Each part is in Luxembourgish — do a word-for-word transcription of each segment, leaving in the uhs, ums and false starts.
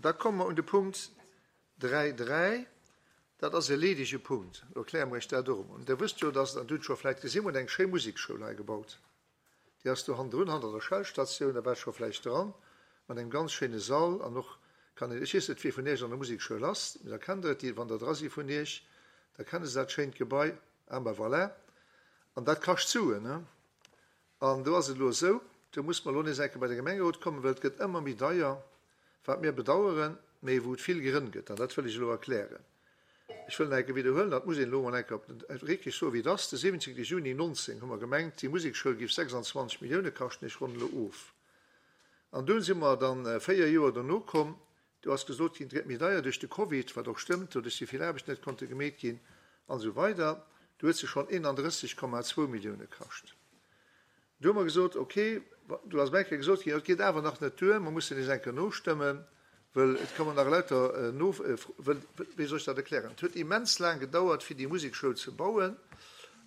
Da komme mer un de Punkt dräi dräi. Dat ass e leedege Punkt. Elo erkläre mer Iech dat och emol. Dir wësst jo, dass, an Dir hutt scho vläicht gesinn, mer hunn eng schéi Musekschoul hei gebaut. Déi ass do hannendrun, hanner der Shell-Statioun, da waart scho vläicht dran, mat engem ganz schéine Sall an och kann een, ech weess net, wie vun Iech an der Musekschoul ass, mee da kennt Der et, déi, wann Der dra si vun Iech, da kenne se dat schéint Gebai. Ah ben voilà. An dat kascht Suen, ne? An do ass et elo esou, do muss mer elo nees eng Kéier bei de Gemengerot kommen, well et gëtt ëmmer méi deier, wat mir bedauern, mee wou et vill Grënn gëtt. An dat wëll ech elo erklären. Ech wëll nach eng Kéier widderhuelen, dat muss een elo emol eng Kéier op den, wierklech soen, wéi et ass, De siwwenzéngte Juni nonzéng hu mer gemengt, déi Musekschoul géif sechsandzwanzeg Millioune kaschten, ech ronnen elo of. An dunn si mer dann véier Joer dono komm, do ass gesot ginn, et gëtt méi deier duerch de Covid, wat och stëmmt, doduerch si vill Aarbechten net konnte gemeet ginn an esou weider. Do huet se schonn eenandrësseg Komma zwou Millioune kascht. Do hu mer gesot, ok, do ass eng Kéier gesot ginn, jo, et geet awer nach net duer, mer mussen nees eng Kéier nostëmmen, wëll et kommen nach lauter no, wëll, wéi soll ech dat erklären, et huet immens laang gedauert, fir déi Musekschoul ze bauen,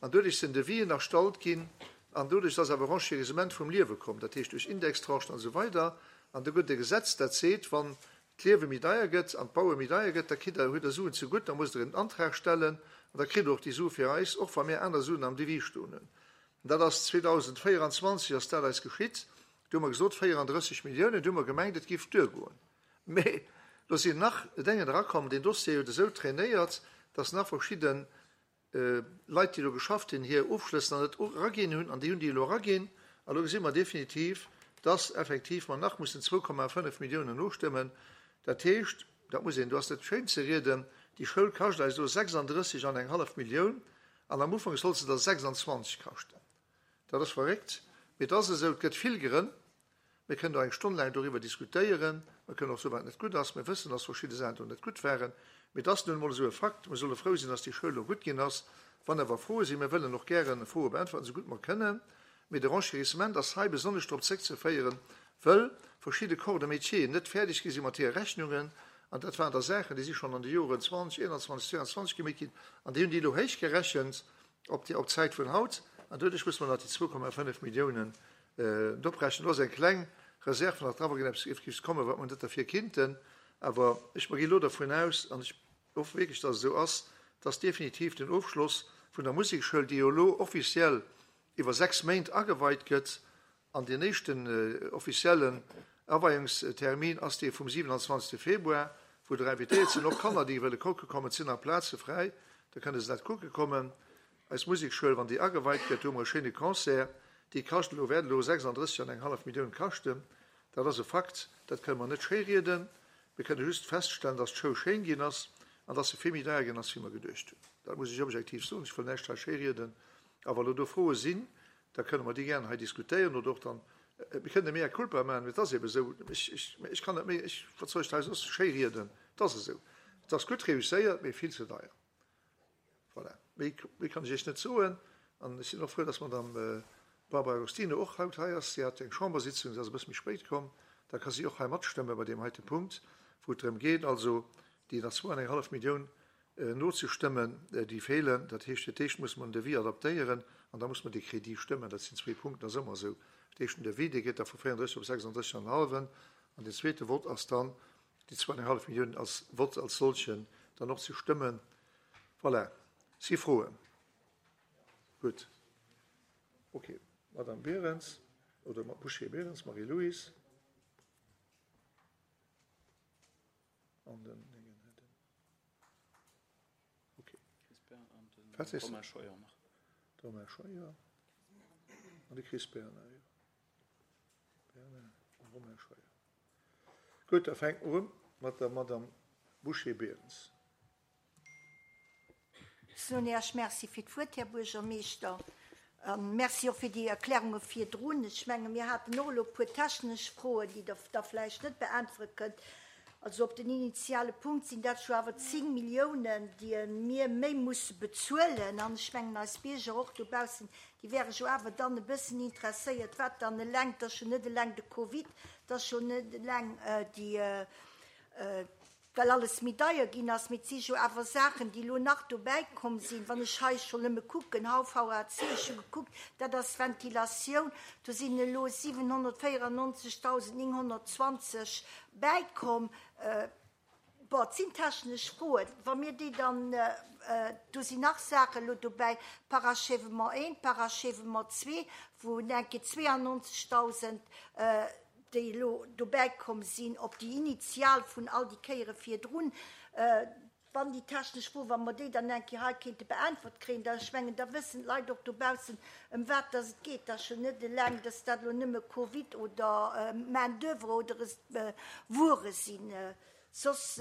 an doduerch sinn Devisen erstallt ginn, an doduerch ass awer Renchérissement vum Liewe komm, dat heescht duerch Indextranchen an esou weider, an do gëtt e Gesetz, dat seet, wann d'Liewe méi deier gëtt an d'Baue méi deier gëtt, da kritt Der, hutt Der Suen zegutt, da musst Der en Antrag stellen an da kritt Der och déi Sue fir eis, och wa mir aner Suen am Devis stoen hunn. An dat ass zweedausendvéieranzwanzeg ass dat eis geschitt. Do hu mer gesot véierandrësseg Milliounen, do hu mer gemengt, et géif duergoen. Mee do sinn nach Déngen erakomm, deen Dossier huet esou trainéiert, dass nach verschidde Leit, déi do geschafft hunn, hir Ofschlëss nach net eraginn hunn, an déi hunn déi elo eraginn. A lo gesi mer definitiv, dass effektiv mer nach mussen zwou Komma fënnef Milliounen nostëmmen. Dat heescht, dat muss een, do ass net schéin ze rieden, déi Schoul kascht eis elo sechsandrësseg an eng hallef Millioun, an am Ufank sollt se der sechsandzwanzeg kaschten. Dat ass verréckt, mee et ass esou. Et gëtt vill Grënn. Mir kënnen do eng Stonn laang doriwwer diskutéieren. Mir kënnen och soen, wat net gutt ass. Mir wëssen, dass verschidde Saachen do net gutt waren. Mee et ass nun emol esou e Fakt. Mir solle frou sinn, dass déi Schoul elo gutt ginn ass. Wann awer Froe sinn, mir wëllen och gären Froe beäntwerten, esou gutt mer kënnen. Mee de Renchérissement ass hei besonnesch drop zréckzeféieren, wëll verschidde Corps de métier net fäerdeg gi si mat hire Rechnungen. An dat waren da Saachen, déi si schonn an de Joren zwanzeg, eenanzwanzeg, zweeanzwanzeg gemeet ginn. An déi hunn déi elo héichgerechent op déi, op d'Zäit vun haut. An doduerch muss mer nach déi zwou Komma fënnef Milliounen Oprechen. Do ass eng kleng Reserve nach dran, wa géint eppes géif kommen, wat mer net derfir kinnten. Awer ech mer ginn elo dervun aus, an ech hoffe wierklech, dass et esou ass, dass definitiv den Ofschloss vun der Musekschoul, déi jo elo offiziell iwwer sechs Méint ageweit gëtt, an deen éischten offiziellen Aweiungstermin ass dee vum siewenanzwanzegste Februar, wou der invitéiert sinn, och Kanner, déi wëlle kucke kommen, et sinn nach Plaze fräi, da kënne se dat kucke kommen. Eis Musekschoul, wann déi ageweit gëtt, do hu mer e schéine Concert. Déi kascht elo, wäert elo sechsanddrësseg an eng hallef Millioun kaschten. Dat ass e Fakt, dat kënne mer net schéirieden. Mir kënne just feststellen, dass d'Schoul schéin ginn ass an dass se vill méi deier ginn ass, wéi mer geduecht hunn. Dat muss ech objektiv soen. Ech wëll näischt hei schéirieden. A wa lo do Froe sinn, da kënne mer déi gären hei diskutéieren oder och dann, mir kënnen e mea culpa maachen, mee et ass eebe esou. Ech, ech, ech kann net méi, ech, wat soll ech hei soss schéirieden? Et ass esou. Et ass gutt reusséiert, mee vill ze deier. Voilà. Méi, méi kann ech Iech net soen. An ech sinn och frou, dass d'Madame Barbara Agostino och haut hei ass. Si hat eng Chambersitzung, si ass e bësse méi spéit komm. Da ka si och hei matstëmme bei deem heite Punkt, wou et drëm geet, also déi nach zwou an eng hallef Millioun nozestëmmen, déi feelen. Dat heescht, fir d'éischt muss mer den Devis adaptéieren an da muss mer de Crédit stëmmen. Dat sinn zwee Punkten, dat ass ëmmer esou. Fir d'éischt den Devis, dee geet da vu véierunddrësseg op sechsanddrësseg an en hallwen. An deen zweete Vott ass dann déi zwou an eng hallef Millioun als Vott als solchen dann och ze stëmmen. Voilà. Si Froen? Gutt. Okay. Madame Berens oder Bouché-Berens, Marie-Louise. An den Okay. Wat sees Romain Scheuer nach. Romain Scheuer an de Chris Bernard, jo. Bernard a Romain Scheuer. Gutt, da fänke mer un mat der Madame Bouché-Berens. Soen Iech Merci fir d'Wuert, Här Buergermeeschter. A Merci och fir déi Erklärunge virdrun. Ech menge mir haten och elo e puer technesch Froen, déi Der da vläicht net beäntwere kënnt. Also op den initiale Punkt sinn dat jo awer zéng Milliounen, déi mir méi musse bezuelen. An ech mengen eis Bierger och dobaussen, déi wäre jo awer dann e bëssen interesséiert, wat dann eleng, et ass jo net eleng de Covid, et ass jo net eleng déi, well alles méi deier ginn ass, mee et si jo awer Saachen, déi elo nach dobäi komm sinn. Wann ech hei schonn nëmme kucken, H V A C, ech hu gekuckt, dat ass Ventilatioun, do sinn elo siwenhonnertvéierennonzegdausendnénghonnertzwanzeg bäikomm. Bon, et sinn technesch Froen, wa mir déi dann, do sinn nach Saachen elo dobäi, Parachèvement eent, Parachèvement zwee, wou enke zweeannonzegdausend, déi elo dobäi komm sinn op déi initial vun all déi Kéiere virdrun. Wann déi technesch Fro, wa mer déi dann eng Kéier hei kéinte beäntwert kréien, da, ech mengen, da wëssen d'Leit och dobaussen, ëm wat dass et geet. Dat ass jo net eleng, dass dat elo nëmme Covid oder Main d'oeuvre oder Wuere sinn. Soss,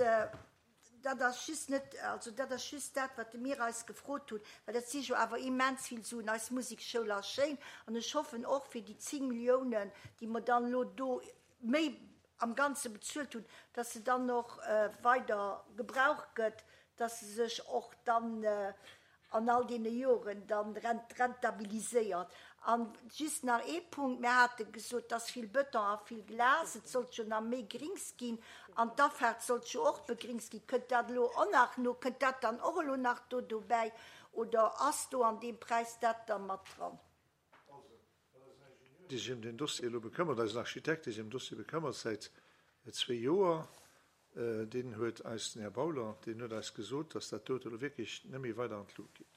dat ass just net, also dat ass just dat, wat mir eis gefrot hunn, well dat si jo awer immens vill Suen. Eis Musekschoul ass schéin an ech hoffen och fir déi zéng Milliounen, déi mer dann elo do méi am Ganze bezuelt hunn, dass se dann och weider gebraucht gëtt, dass se sech och dann an all deene Joren dann rentabiliséiert. An just nach ee Punkt, Mir hate gesot, dass vill Bëton a vill Glas, et sollt jo nach méi Grings ginn an d'Afaart sollt jo och begringst ginn. Kënnt dat elo och nach no? Kënnt dat dann och elo nach do dobäi oder ass do an deem Präis dat da mat dran? Dee sech ëm den Dossier elo bekëmmert, eisen Architekt, dee sech ëm den Dossier bekëmmert säit zwee Joer, deen huet eis, den Här Bauler, deen huet eis gesot, dass dat dote elo wierklech net méi weider an d'Lut geet.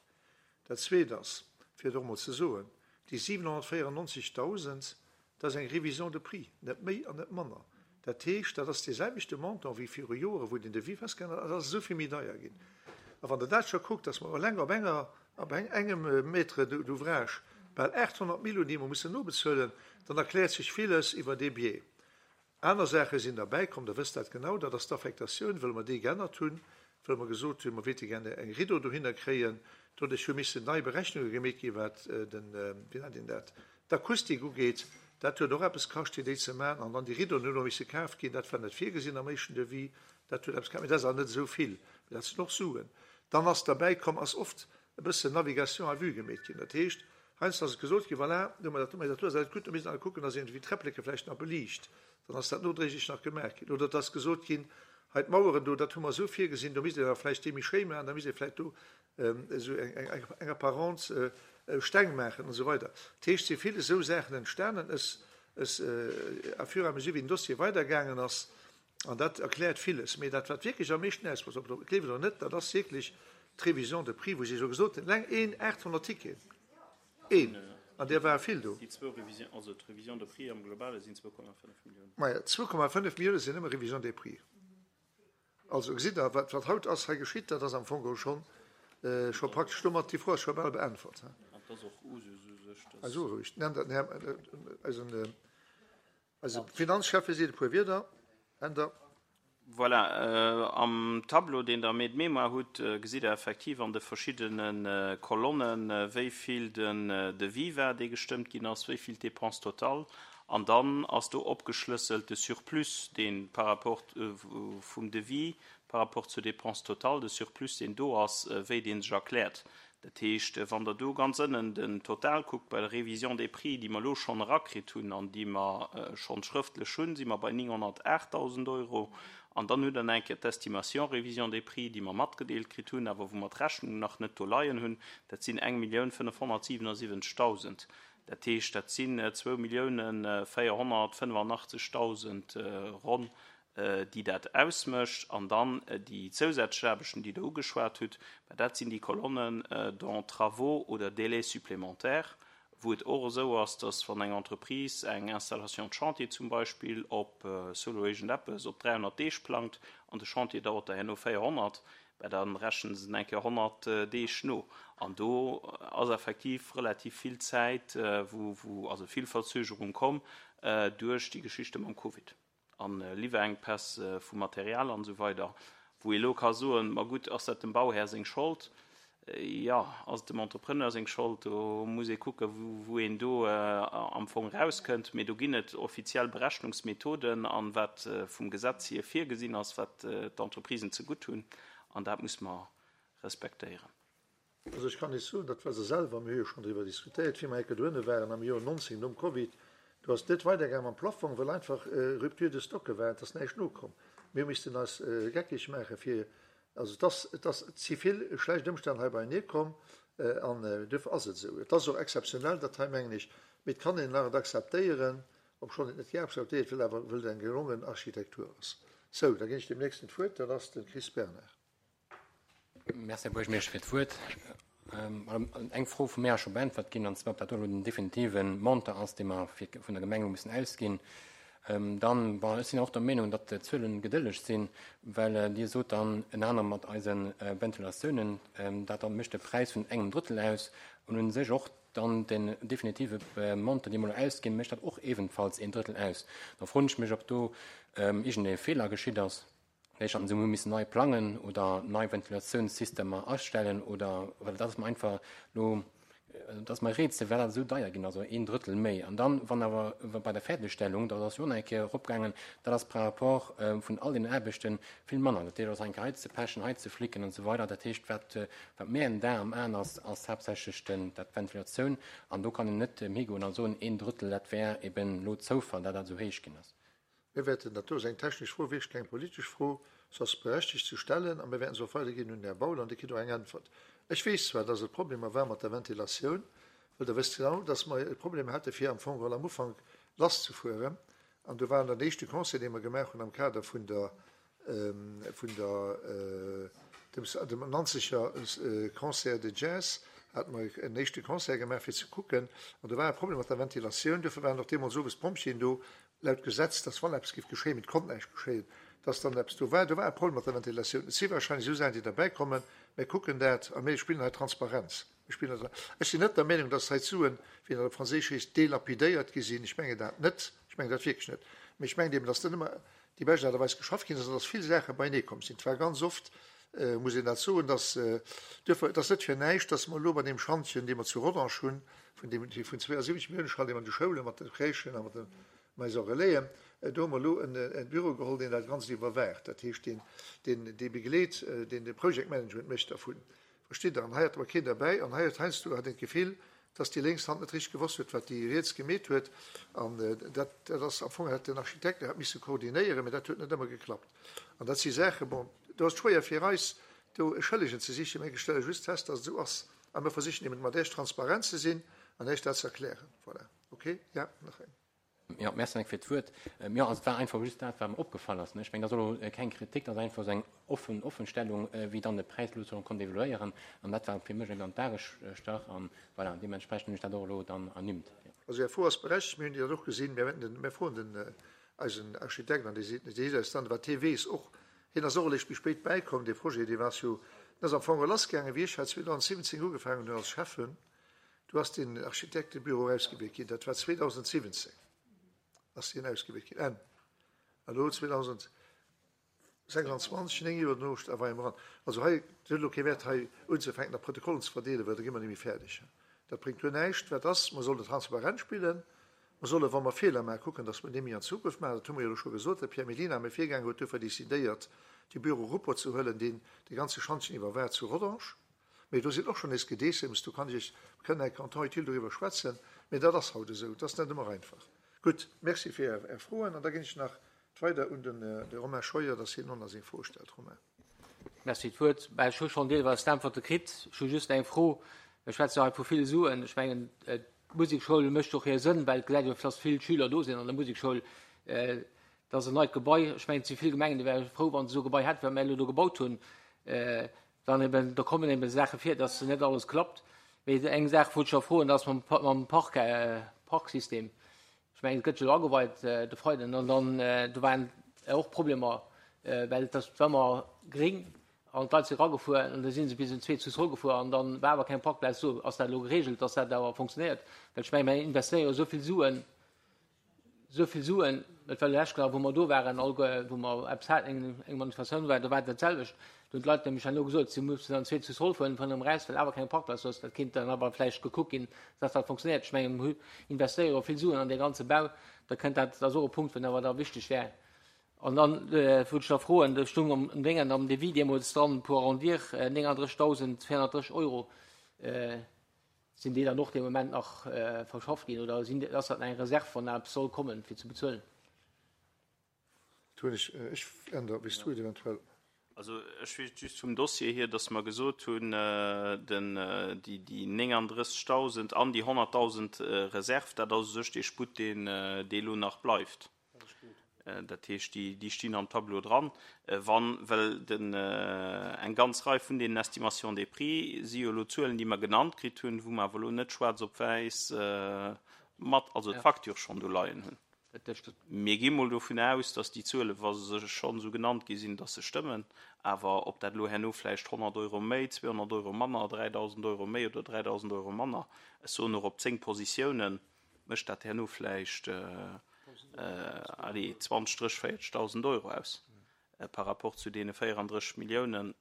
Dat Zweet ass, fir et och emol ze soen, déi siwenhonnertvéierennonzegdausend, dat ass eng Révision de prix, net méi an net manner. Dat heescht, dat ass dee selwechte Montant wéi viru Joren, wou den Devis festgehalen hat, dat ass esou vill méi deier ginn. A wann Der dat scho kuckt, dass mer eleng op enger, op engem Mètre d'ouvrage bal aathonnert Mille hunn, déi mer mussen nobezuelen, dann erkläert sech villes iwwer dee Biais. Aner Saache sinn derbäikomm, Der wësst dat genau, dat ass d'Affektatioun, wëll mer déi geännert hunn, wëll mer gesot hunn, mer wéilte gerne eng Rideau dohinner kréien. Doduerch hu missen nei Berechnunge gemeet ginn, wat den, wéi nennt een dat, d'Akustik ugeet. Dat huet och eppes kascht, fir déi ze maachen. An dann déi Rideauen hunn och misse kaf ginn. Dat war net virgesinn am éischten Devis. Dat huet eppes kascht, mee dat ass awer net esou vill. Mee dat sinn och Suen. Dann ass derbäikomm, ass oft e bëssen Navigation à vue gemeet ginn. Dat heescht, heiansdo ass et gesot ginn, voilà, do hu mer dat, do hu mer dat, do ass dat gutt, do misst een awer kucken, dass een iergendwéi d'Träppleke vläicht nach beliicht. Dann ass dat nodréiglech nach gemaach ginn. Oder et ass gesot ginn, hei d'Maueren do, dat hu mer esou virgesinn, do misst een awer vläicht déi méi schéi maachen, da misst ee vläicht do esou eng, eng Apparence Steng maachen an esou weider. Dat heescht, et si vill esou Saachen entstanen, es, es, à fur et à mesure wéi den Dossier weidergaangen ass, an dat erkläert villes. Mee dat, wat wierklech am meeschten ausmécht, ob Der et gleeft oder net, dat ass wierklech d'Révision de prix, wou si esou gesot hunn, eleng een aathonnert Ticketen, een, an där ware vill do. Déi zwou Révision, also d'Révision de prix am Globale sinn zwou Komma fënnef Milliounen. Maja, zwou Komma fënnef Millioune sinn nëmme Révision des prix. Also gesitt Der, wat, wat haut ass hei geschitt, dat ass am Fong geholl schonn, scho praktesch domat, déi Fro ass scho bal beäntwert. An et ass och Usus u sech, dass. Also roueg, den Här, eisen, eise Finanzschäffe seet e puer Wierder. Änder. Voilà, am Tableau, deen Der am Aide-mémoire hutt, gesitt Der effektiv an de verschiddene Kolonnen, wéi vill den Devis war, dee gestëmmt ginn ass, wéi vill d'Dépense totale. An dann ass do opgeschlësselt de Surplus, dee par rapport vum Devis, par rapport zur Dépense totale, de Surplus, deen do ass, wéi dee sech erkläert. Dat heescht, wann Der do ganz ënnen den Total kuckt bei der Révision des prix, déi mer elo schonn erakritt hunn an déi mer schonn schrëftlech hunn, si mer bei nénghonnertaachtdausend Euro. An dann hutt Der nach eng Kéier d'Estimation révision des prix, déi mer matgedeelt kritt hunn, awer wou mer d'Rechnung nach net do leien hunn, dat sinn eng Millioun fënnefhonnertsiwenesiwwenzegdausend. Dat heescht, dat sinn zwou Milliounen véierhonnertfënnefannachtzegdausend ronn, déi dat ausmécht. An dann déi zousätzlech Aarbechten, déi Der ugeschwat hutt, mä dat sinn déi Kolonnen dont travaux oder délais supplémentaires, wou et och esou ass, dass wann eng Entreprise eng Installation de chantier zum Beispill op solo iergendeppes op dräihonnert Deeg plangt an de Chantier dauert da herno véierhonnert, mä da rechnen se eng Kéier honnert Deeg no. An do ass effektiv relativ vill Zäit, wou, wou also vill Verzögerung komm duerch déi Geschichte mam Covid an Liwwerenkpäss vu Material an esou weider, wou ee elo ka soen, ma gutt, ass dat dem Bauhär seng Schold? Jo, ass et dem Entrepreneur seng Schold? Do muss ee kucken, wou een do am Fong erauskënnt. Mee do ginn et offiziell Berechnungsmethoden an wat vum Gesetz hier virgesinn ass, wat d'Entreprisen zegutt hunn, an dat muss mer respektéieren. Also ech kann Iech soen, dat war se selwer, mir hu jo schonn driwwer diskutéiert, wéi mer enke dohinne waren am Joer nonzéng nom Covid, do ass et net weidergaangen mam Plafong, well einfach Rupture de stocke war, et ass näischt nokomm. Mir missten eis geckeg maache fir, also et ass, et ass, et si vill schlecht Ëmstänn hei beienee komm an duerfir ass et esou. Et ass och exzeptionell dat hei, mengen ech, mee et kann een nach et akzeptéieren, obschonn et net gär akzeptéiert wëll, awer wëll et eng gelongen Architektur ass. Sou, da ginn ech deem nächsten d'Wuert, dat ass de Chris Bernard. Merci, Här Buergermeeschter, fir d'Wuert. Eng Fro vu mär ass scho beäntwert ginn, an zwar ob dat do elo den definitive Montant ass, dee mer fir vun der Gemeng elo mussen ausginn. Dann, bon, ech sinn och der Meenung, datt d'Zuele gedëlleg sinn, well Dir sot dann ënner anerem mat eise Ventilatiounen, dat mécht de Präis vun engem Drëttel aus an u sech och dann den definitive Montant, dee mer elo ausginn, mécht dat och ebenfalls een Drëttel aus. Da froen ech mech, ob do iergendee Feeler geschitt ass. Vläicht hatten se hu missen nei plangen oder nei Ventilatiounssystemer astellen oder, well dat ass mer einfach elo, dat ass mer e Rätsel, well dat esou deier ginn ass, also een Drëttel méi. An dann, wann awer bei der Fäerdegstellung, dat ass jo och nach eng Kéier eropgaangen, dat ass par rapport vun all deenen Aarbechte vill manner. Dat heescht, ass eng Kéier hei ze pechen, hei ze flicken an esou weider. Dat heescht, wat, wat mir en Dar am Aen ass, ass haaptsächlech den, dat d'Ventilatioun. An do kann een net higoen a soen, een Drëttel, dat wär eben elo Zoufall, dat dat esou héich ginn ass. Mir wäerten, dat do ass eng technesch Fro, wierklech keng politesch Fro, se ass berechtigt ze stellen a mir wäerten se och weiderginn un den Här Baul an dee kritt och eng Äntwert. Ech weess zwar, dass et Problemer war mat der Ventilatioun, well Der wësst genau, dass mer e Problem hate fir am Fong geholl am Ufank lasszefueren an do war den éischte Concert, dee mer gemaach hunn am Kader vun der, vun der, dem, dem Nanzeger Concert de Jazz, hate mer en éischte Concert gemaach fir ze kucken an do war e Problem mat der Ventilatioun, duerfir waren och deemools owes d'Pompjeeën do, laut Gesetz, dass wann eppes géif geschéien, mee et konnt näischt geschéien, dass dann eppes do war. Do war e Problem mat der Ventilatioun. Et si wahrscheinlech esou Saachen, déi derbäikommen. Mir kucken dat a mir spillen hei Transparenz. Mir spillen hei, ech sinn net der Meenung, dass hei d'Suen, wéi dat op Franséisch heescht, délapidéiert gi sinn. Ech mengen dat net. Ech mengen dat wierklech net. Mee ech mengen eben, dass net ëmmer déi bescht Aart a Weis geschafft ginn ass an dass vill Saache beienee komm sinn. Et war ganz oft, muss een dat soen, dass duerfir, et ass net fir näischt, dass mer elo bei deem Schantjen, dee mer zu Rodange hunn, vun deem, vun zweeënsiwwenzeg Milliounen Schantjen an de Schoule mat de Crèchen a mat de Maisons Relaisen, do hu mer elo en Büro geholl, deen dat Ganzt iwwerwaacht, dat heescht, deen, deen, dee begleet, deen de Project-Management mécht dervun. Verstitt Der? An hei hat awer keen derbäi an hei huet heiansdo hat een d'Gefill, dass déi lénks Hand net richteg gewosst huet, wat déi riets gemeet huet. An dat, dat ass am Fong, hätt den Architekt dat misse koordinéieren, mä dat huet net ëmmer geklappt. An dat si Saachen, bon, do ass et schwéier fir eis, do e Schëllegen ze sichen, mä ech stelle just fest, dass et esou ass. A mir versichen eben mat Iech transparent ze sinn an Iech dat ze erklären. Voilà. Okay? Ja, nach eng. Jo, merci Mike fir d'Wuert. Jo, also et war einfach just dat, wat mer opgefall ass. Ech mengen, dat ass elo keng Kritik, dat ass einfach esou eng offen Offenstellung, wéi dann de Präis elo soll konnt evoluéieren. An dat war fir mech eben an d'A gestach. An voilà, deementsprechend hunn ech dat och elo dann ernimmt. Also Är Fro ass berechtigt, mir hunn déi dann och gesinn. Mir wäerten den, mir froen den, eisen Architekt an dee seet, dee seet eis dann, wat hie weess och. Hien ass och eréischt méi spéit bäikomm, dee Projet, dee war jo, deen ass am Fong lassgaangen, wéi ech hei zweedausendsiwwenzéng ugefaangen hunn als Schäffen. Do ass den Architektebüro ausgewielt ginn, dat war zweedausendsiwwenzéng ass deen ausgewielt ginn, Enn. Elo zweedausendsechsanzwanzeg, néng Joer dono, da war eran. Also hei, et huet elo kee Wäert hei unzefänken, nach Protokollen ze verdeelen, well da gi mer net méi fäerdeg. Dat bréngt guer näischt. Wat ass, mer sollen transparent spillen, mer solle wa mer Feeler maachen, kucken, datt mer déi méi an Zukunft maachen. Dat hu mer jo elo scho gesot. De Pierre Mellina, mäi Virgänger, huet duerfir decidéiert, de Büro Ruppert ze huelen, deen de ganze Schantjen iwwerwaacht zu Rodange. Mee do sinn och schonn nees Gedeessems, do kann ech Iech, mir kënnen enk en temps utile doriwwer schwätzen, mee dat ass haut esou, et ass net ëmmer einfach. Gutt, Merci fir Är Froen an da ginn ech nach weider un den de Romain Scheuer, dass hien och nach seng Fro stellt. Romain. Merci fir d'Wuert. Mä ech hu schonn deelweis d'Äntwerte kritt. Ech hu just eng Fro. Mir schwätze jo hei vu ville Suen. Ech mengen, d'Musekschoul mécht och hir Sënn, well et gesäit jo, dass vill Schüler do sinn an der Musekschoul. Dat ass en neit Gebai. Ech mengen, et si vill Gemengen, déi wäre frou, wa se esou e Gebai hätten, wat mir elo do gebaut hunn. Dann eben, do kommen eben Saache vir, dass net alles klappt. Mee eng Saach wollt ech nach froen, dat ass mam, mam Park, Parksystem. Ech mengen, et gëtt jo elo ageweit de Freiden, an dann do waren och Problemer, well et ass, war ëmmer gréng an d'Leit si eragefuer an da si se bis un zwee zu zrëckgefuer an dann war awer keng Parkplaz do. Ass dat elo geregelt, dass dat awer funktionéiert? Well ech mengen, mir investéiere jo esou vill Suen, esou vill Suen, et war lech klar, wou mer do waren, alleguer, wou mer eppes haten, eng Manifestatioun war, do war et dat selwecht. Do hunn d'Leit nämlech herno gesot, si mussen an zwee zu Zoll fueren vun erëm eraus, well awer keng Parkplaz ass. Dat kéint dann awer vläicht gekuckt ginn, dass dat funktionéiert. Ech mengen, mir investéiere jo vill Suen an dee ganze Bau, da kënnt dat, dat ass och e Punkt, wou awer da wichteg wär. An dann wollt ech nach froen, do stung am Déngen, am Devis deemools dran, pour arrondir, nénganddrëssigdausendvéierhonnertdrësseg Euro. Sinn déi dann och dee Moment nach verschafft ginn oder sinn, ass dat eng Reserve, wann eppes soll kommen, fir ze bezuelen? Do hunn ech, ech änder, wéi s du et eventuell. Also ech weess just vum Dossier hier, dass mer gesot hunn, den, déi, déi nénganddrëssegdausend an déi honnertdausend Reserv, dat ass u sech dee Sputt, deen, dee elo nach bleift. Dat heescht, déi, déi stinn am Tableau dran. Wann, well den, eng ganz Rei vun deenen Estimations des prix si jo elo Zuelen, déi mer genannt kritt hunn, wou mer awer elo net schwaarz op wäiss mat, also d'Facture schonn do leien hunn. Mir gi mol dovun aus, dass déi Zuelen, wa se schonn esou genannt gi sinn, dass se stëmmen. Awer ob dat elo herno vläicht honnert Euro méi, zweehonnert Euro manner, dräidausend Euro méi oder dräidausend Euro manner, ech soen och op zéng Positiounen, mécht dat herno vläicht, allez, zwanzeg, drësseg, véierzegdausend Euro aus par rapport zu deene véierandrësseg Milliounen.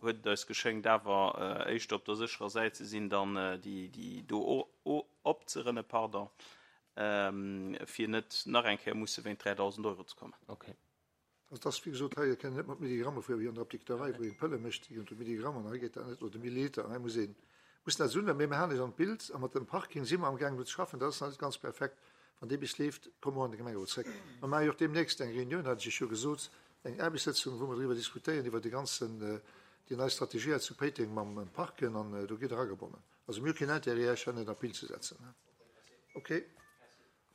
Huet et eis geschéngt, awer éischter op der sécherer Säit ze sinn, dann déi do opzerënne, pardon, fir net nach eng Kéier musse wéint dräidausend Euro ze kommen. Okay. Also dat ass, wéi gesot, hei kënnt een net mat Milligramme fueren, wéi an der Apdikterei, wou een Pëlle mécht, déi ginn unter Milligramm, an hei geet dat net, oder Milliliter, an hei muss een, muss dat esou, mee mir halen eis an d'Bild, a mat dem Parking si mer amgaangen do ze schaffen, dat ass nach net ganz perfekt. Wann dee bis leeft, komme mer an de Gemengerot zréck. Mer maache jo och deemnächst eng Reunioun, hat ech Iech jo gesot, eng Aarbechtssëtzung, wou mer driwwer diskutéieren, iwwer de ganzen, déi nei Strategie hei zu Péiteng mam Parken, an do gitt Der agebonnen. Also mir hu keen Intérêt, Iech hei net an d'Bild ze setzen. Okay.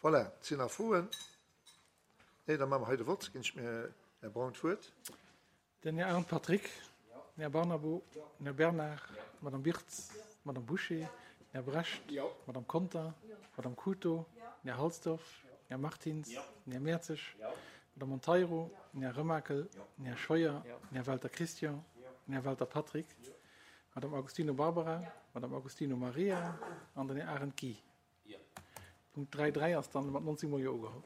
Voilà. Sinn nach Froen? Nee, da maache mer hei de Vott. Ginn ech mir Här Braun d'Wuert. Den Här Arndt Patrick, den Här Barnabo, den Här Bernard, d'Madame Birtz, d'Madame Bouché, den Här Brecht, d'Madame Conter, d'Madame Couto, den Här Halsdorf, den Här Martins, den Här Mertzig, d'Madame Monteiro, den Här Remakel, den Här Scheuer, den Här Welter Christian, den Här Welter Patrick, d'Madame Agostino Barbara, d'Madame Agostino Maria an den Här Arendt Guy. Punkt dräi dräi ass dann mat neunzeg Mol Jo ugeholl.